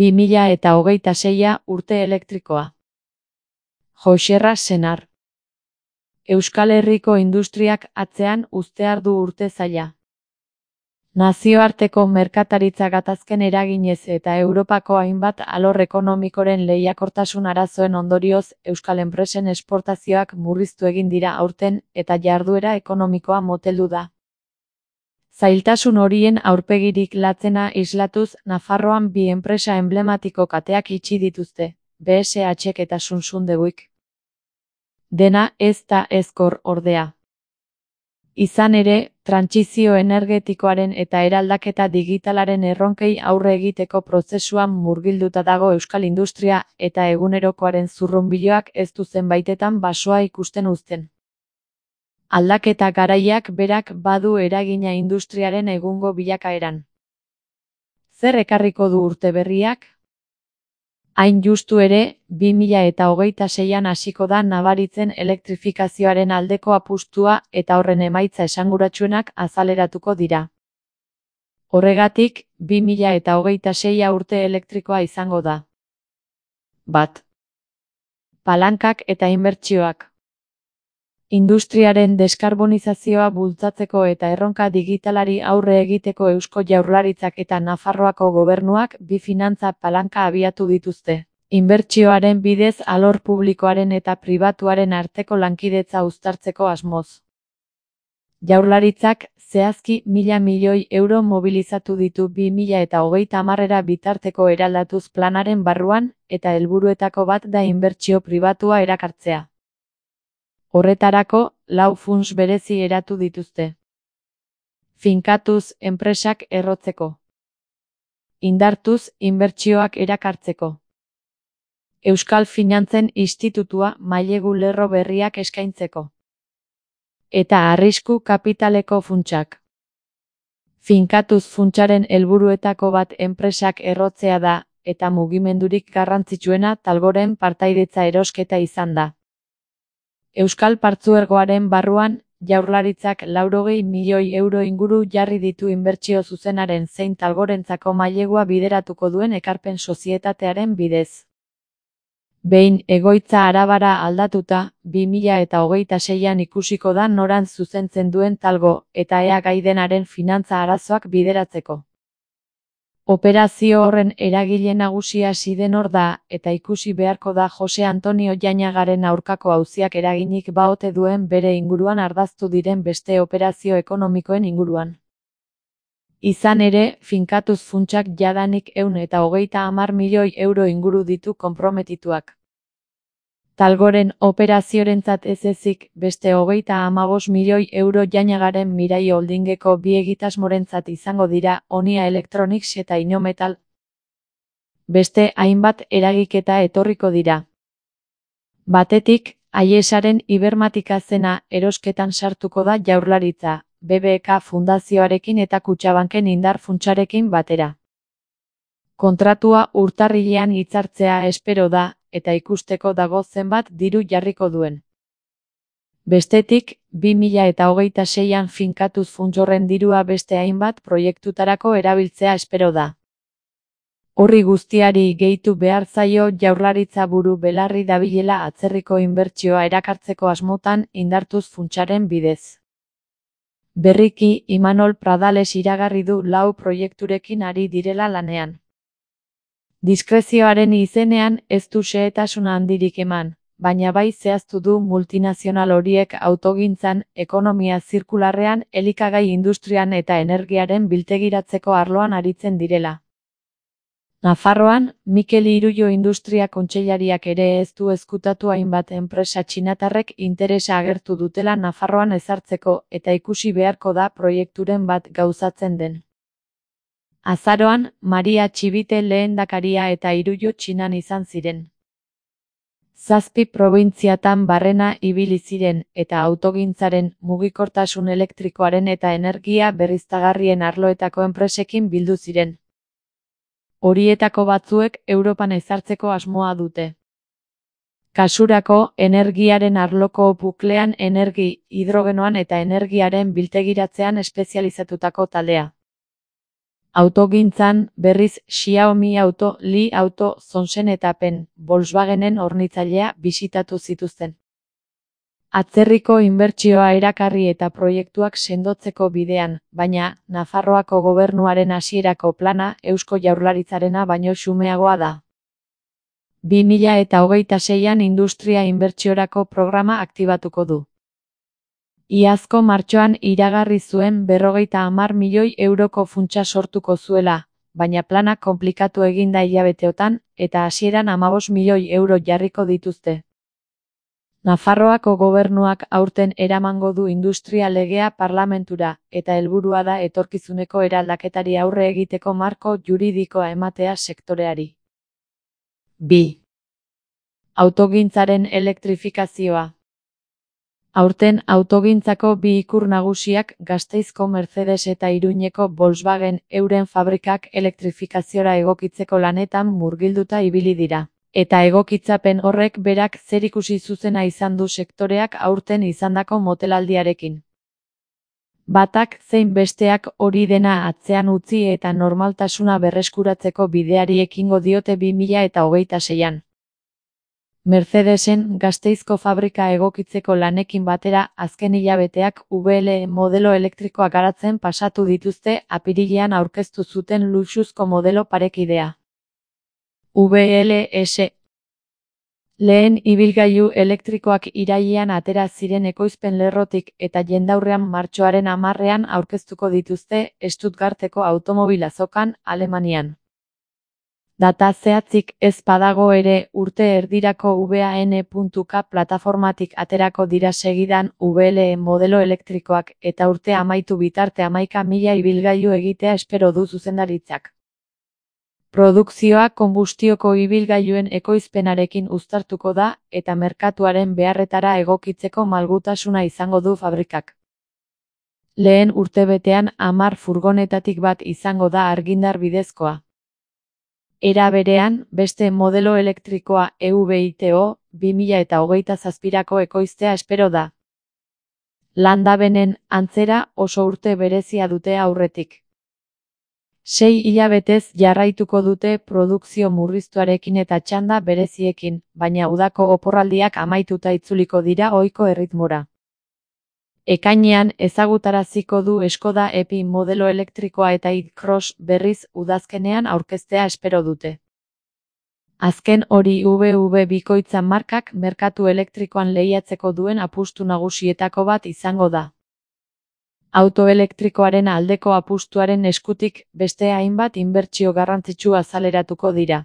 2026 urte elektrikoa. Joxerra Senar. Euskal Herriko industriak atzean uztear du urte zaila. Nazioarteko merkataritza gatazken eraginez eta Europako hainbat alor ekonomikoren lehiakortasun arazoen ondorioz euskal enpresen esportazioak murriztu egin dira aurten eta jarduera ekonomikoa moteldu da. Zailtasun horien aurpegirik latzena islatuz Nafarroan bi enpresa emblematiko kateak itxi dituzte, BSH-ek eta Sunsundebuik. Dena ez da ezkor ordea. Izan ere, trantsizio energetikoaren eta eraldaketa digitalaren erronkei aurre egiteko prozesuan murgilduta dago euskal industria eta egunerokoaren zurrunbiloak ez du zenbaitetan basoa ikusten uzten. Aldaketa garaiak berak badu eragina industriaren egungo bilakaeran. Zer ekarriko du urte berriak? Hain justu ere, 2026an hasiko da nabaritzen elektrifikazioaren aldeko apustua eta horren emaitza esanguratsuenak azaleratuko dira. Horregatik, 2026 urte elektrikoa izango da. 1. Palankak eta inbertsioak. Industriaren deskarbonizazioa bultzatzeko eta erronka digitalari aurre egiteko Eusko Jaurlaritzak eta Nafarroako gobernuak bi finantza palanka abiatu dituzte. Inbertsioaren bidez alor publikoaren eta pribatuaren arteko lankidetza uztartzeko asmoz. Jaurlaritzak zehazki 1.000 milioi euro mobilizatu ditu 2030 bitarteko eraldatuz planaren barruan eta helburuetako bat da inbertsio pribatua erakartzea. Horretarako, 4 funts berezi eratu dituzte. Finkatuz enpresak errotzeko. Indartuz inbertsioak erakartzeko. Euskal Finantzen Institutua mailegu lerro berriak eskaintzeko. Eta arrisku kapitaleko funtsak. Finkatuz funtsaren helburuetako bat enpresak errotzea da, eta mugimendurik garrantzitsuena Talgoren partaidetza erosketa izan da. Euskal Partzuergoaren barruan, Jaurlaritzak 80 milioi euro inguru jarri ditu inbertsio zuzenaren zein Talgorentzako mailegua bideratuko duen ekarpen sozietatearen bidez. Behin egoitza arabara aldatuta, 2026an ikusiko da norantz zuzentzen duen Talgo eta ea gai denaren finantza arazoak bideratzeko. Operazio horren eragile nagusia Sidenor da, eta ikusi beharko da Jose Antonio Jainagaren aurkako auziak eraginik baote duen bere inguruan ardaztu diren beste operazio ekonomikoen inguruan. Izan ere, finkatuz funtsak jadanik 130 milioi euro inguru ditu konprometituak. Talgoren operaziorentzat ez ezik, beste 35 milioi euro Jainagaren Mirai Holdingeko bi egitasmorentzat izango dira Onia Electronics eta Inometal. Beste hainbat eragiketa etorriko dira. Batetik, Aiesaren Ibermatika zena erosketan sartuko da Jaurlaritza, BBK Fundazioarekin eta Kutxabanken indar funtsarekin batera. Kontratua urtarrilean hitzartzea espero da, eta ikusteko dago zenbat diru jarriko duen. Bestetik, 2026an finkatuz funtsorren dirua beste hainbat proiektutarako erabiltzea espero da. Horri guztiari gehitu behar zaio Jaurlaritza buru belarri dabilela atzerriko inbertsioa erakartzeko asmotan indartuz funtsaren bidez. Berriki, Imanol Pradales iragarri du 4 proiekturekin ari direla lanean. Diskrezioaren izenean ez du xehetasuna handirik eman, baina bai zehaztu du multinazional horiek autogintzan, ekonomia zirkularrean, elikagai industrian eta energiaren biltegiratzeko arloan aritzen direla. Nafarroan, Mikel Irullo Industria Kontseilariak ere ez du ezkutatu hainbat enpresa txinatarrek interesa agertu dutela Nafarroan ezartzeko eta ikusi beharko da proiekturen bat gauzatzen den. Azaroan, Maria Txibite lehendakaria eta Irullo Txinan izan ziren. 7 probintziatan barrena ibili ziren eta autogintzaren, mugikortasun elektrikoaren eta energia berriztagarrien arloetako enpresekin bildu ziren. Horietako batzuek Europan ezartzeko asmoa dute. Kasurako, energiaren arloko buklean hidrogenoan eta energiaren biltegiratzean espezializatutako taldea. Autogintzan, berriz Xiaomi Auto, Li Auto, Zonsen eta Pen, Volkswagenen hornitzailea bisitatu zituzten. Atzerriko inbertsioa erakarri eta proiektuak sendotzeko bidean, baina Nafarroako gobernuaren hasierako plana Eusko Jaurlaritzarena baino xumeagoa da. 2026an industria inbertsiorako programa aktibatuko du. Iazko martxoan iragarri zuen 50 milioi euroko funtsa sortuko zuela, baina plana konplikatu egin da hilabeteotan, eta hasieran 15 milioi euro jarriko dituzte. Nafarroako gobernuak aurten eramango du industria legea parlamentura, eta helburua da etorkizuneko eraldaketari aurre egiteko marko juridikoa ematea sektoreari. 2. Autogintzaren elektrifikazioa. Aurten autogintzako bi ikur nagusiak Gasteizko Mercedes eta Iruñeko Volkswagen euren fabrikak elektrifikaziora egokitzeko lanetan murgilduta ibili dira. Eta egokitzapen horrek berak zerikusi zuzena izan du sektoreak aurten izandako motelaldiarekin. Batak zein besteak hori dena atzean utzi eta normaltasuna berreskuratzeko bideari ekingo diote 2026an. Mercedesen Gasteizko fabrika egokitzeko lanekin batera azken hilabeteak VL modelo elektrikoa garatzen pasatu dituzte apirilean aurkeztu zuten luxuzko modelo parekidea. VLS. Lehen ibilgailu elektrikoak irailean atera ziren ekoizpen lerrotik eta jendaurrean martxoaren 10ean aurkeztuko dituzte Stuttgarteko automobil azokan, Alemanian. Data zehatzik ez badago ere urte erdirako VAN.K plataformatik aterako dira segidan VL modelo elektrikoak eta urte amaitu bitarte 11.000 ibilgailu egitea espero du zuzendaritzak. Produkzioa konbustioko ibilgailuen ekoizpenarekin uztartuko da eta merkatuaren beharretara egokitzeko malgutasuna izango du fabrikak. Lehen urtebetean 10 furgonetatik bat izango da argindar bidezkoa. Era berean, beste modelo elektrikoa EV-ITO 2027ko ekoiztea espero da. Landabenen antzera oso urte berezia dute aurretik. 6 hilabetez jarraituko dute produkzio murriztuarekin eta txanda bereziekin, baina udako oporraldiak amaituta itzuliko dira ohiko erritmora. Ekainean ezagutaraziko du Skoda Epi modelo elektrikoa eta i-Cross berriz udazkenean aurkeztea espero dute. Azken hori VW bikoitza markak merkatu elektrikoan lehiatzeko duen apustu nagusietako bat izango da. Auto elektrikoaren aldeko apustuaren eskutik beste hainbat inbertsio garrantzitsu azaleratuko dira.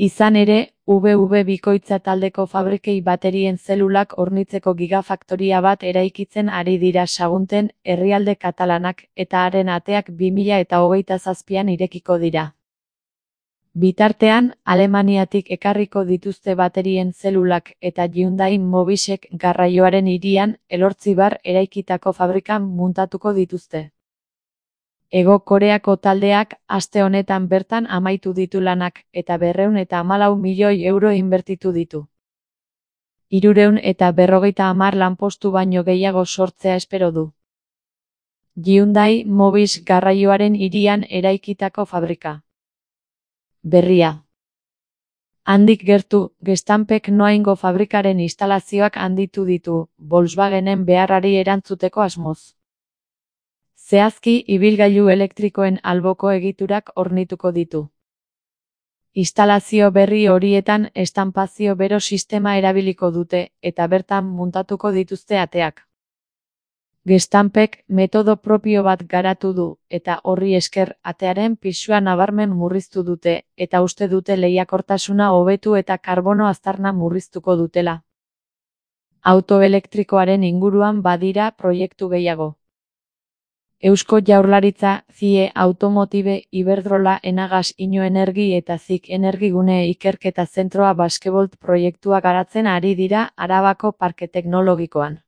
Izan ere, VW bikoitza taldeko fabrikei baterien zelulak hornitzeko gigafaktoria bat eraikitzen ari dira Sagunten, herrialde katalanak, eta haren ateak 2027an irekiko dira. Bitartean, Alemaniatik ekarriko dituzte baterien zelulak eta Hyundai Mobisek garraioaren hirian, Elortzibar eraikitako fabrikan muntatuko dituzte. Hego Koreako taldeak aste honetan bertan amaitu ditu lanak eta 214 milioi euro inbertitu ditu. 350 lanpostu baino gehiago sortzea espero du. Hyundai Mobis garraioaren hirian eraikitako fabrika. Berria. Handik gertu, Gestampek Noaingo fabrikaren instalazioak handitu ditu, Volkswagenen beharrari erantzuteko asmoz. Zehazki, ibilgailu elektrikoen alboko egiturak hornituko ditu. Instalazio berri horietan estanpazio bero sistema erabiliko dute, eta bertan muntatuko dituzte ateak. Gestampek metodo propio bat garatu du, eta horri esker atearen pisua nabarmen murriztu dute, eta uste dute lehiakortasuna hobetu eta karbono aztarna murriztuko dutela. Auto elektrikoaren inguruan badira proiektu gehiago. Eusko Jaurlaritza, CIE Automotive, Iberdrola, Enagas, Inoenergi eta Zik Energigune ikerketa zentroa Baskebolt proiektua garatzen ari dira Arabako Parke Teknologikoan.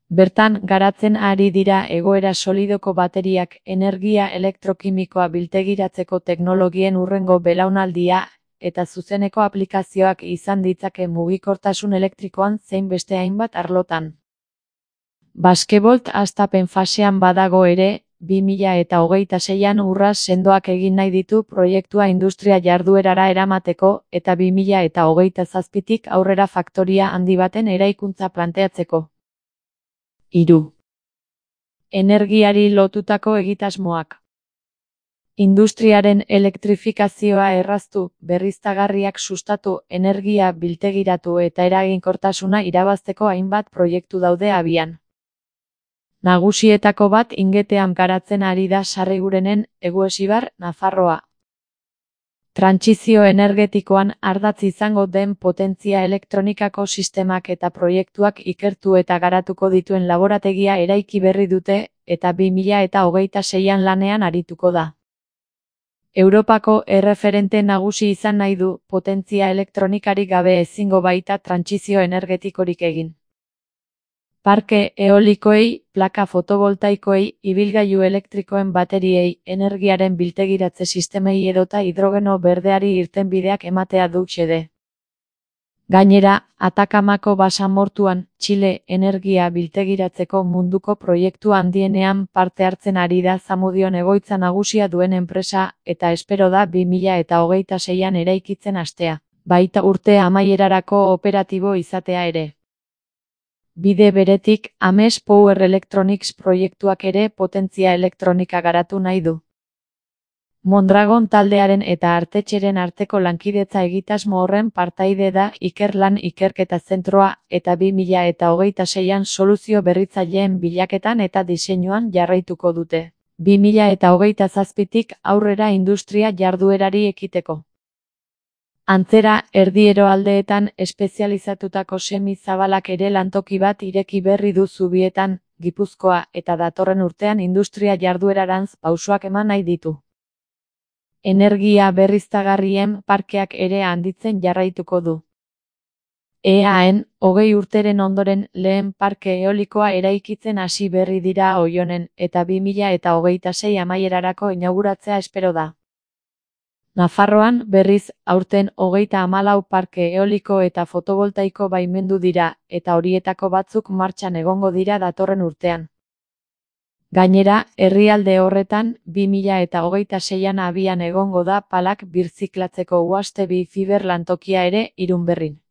Bertan garatzen ari dira egoera solidoko bateriak, energia elektrokimikoa biltegiratzeko teknologien hurrengo belaunaldia, eta zuzeneko aplikazioak izan ditzake mugikortasun elektrikoan zein beste hainbat arlotan. Baskebolt hastapen fasean badago ere, 2026an urrats sendoak egin nahi ditu proiektua industria jarduerara eramateko eta 2027tik aurrera faktoria handi baten eraikuntza planteatzeko. 3. Energiari lotutako egitasmoak. Industriaren elektrifikazioa erraztu, berriztagarriak sustatu, energia biltegiratu eta eraginkortasuna irabazteko hainbat proiektu daude abian. Nagusietako bat Ingetean garatzen ari da Sarrigurenen, Eguesibar, Nafarroa. Trantsizio energetikoan ardatz izango den potentzia elektronikako sistemak eta proiektuak ikertu eta garatuko dituen laborategia eraiki berri dute eta 2026an lanean arituko da. Europako erreferente nagusi izan nahi du, potentzia elektronikarik gabe ezingo baita trantsizio energetikorik egin. Parke eolikoei, plaka fotovoltaikoei, ibilgailu elektrikoen bateriei, energiaren biltegiratze sistemei edota hidrogeno berdeari irtenbideak ematea du xede. Gainera, Atakamako basamortuan, Txile energia biltegiratzeko munduko proiektu handienean parte hartzen ari da Zamudion egoitza nagusia duen enpresa eta espero da 2026an eraikitzen hastea, baita urte amaierarako operatibo izatea ere. Bide beretik, Ames Power Electronics proiektuak ere potentzia elektronika garatu nahi du. Mondragon taldearen eta Artetxeren arteko lankidetza egitasmo horren partaide da Ikerlan Ikerketa Zentroa eta 2026an soluzio berritzaileen bilaketan eta diseinuan jarraituko dute. 2027tik aurrera industria jarduerari ekiteko. Antzera, erdiero aldeetan espezializatutako semi-zabalak ere lantoki bat ireki berri du Zubietan, Gipuzkoa eta datorren urtean industria jarduerarantz pausoak eman nahi ditu. Energia berriztagarrien parkeak ere handitzen jarraituko du. EAEn, 20 urteren ondoren lehen parke eolikoa eraikitzen hasi berri dira Oionen eta 2026 amaierarako inauguratzea espero da. Nafarroan, berriz, aurten 34 parke eoliko eta fotovoltaiko baimendu dira, eta horietako batzuk martxan egongo dira datorren urtean. Gainera, herrialde horretan, 2026an abian egongo da palak birziklatzeko UASTE bi fiber lantokia ere Irunberrin.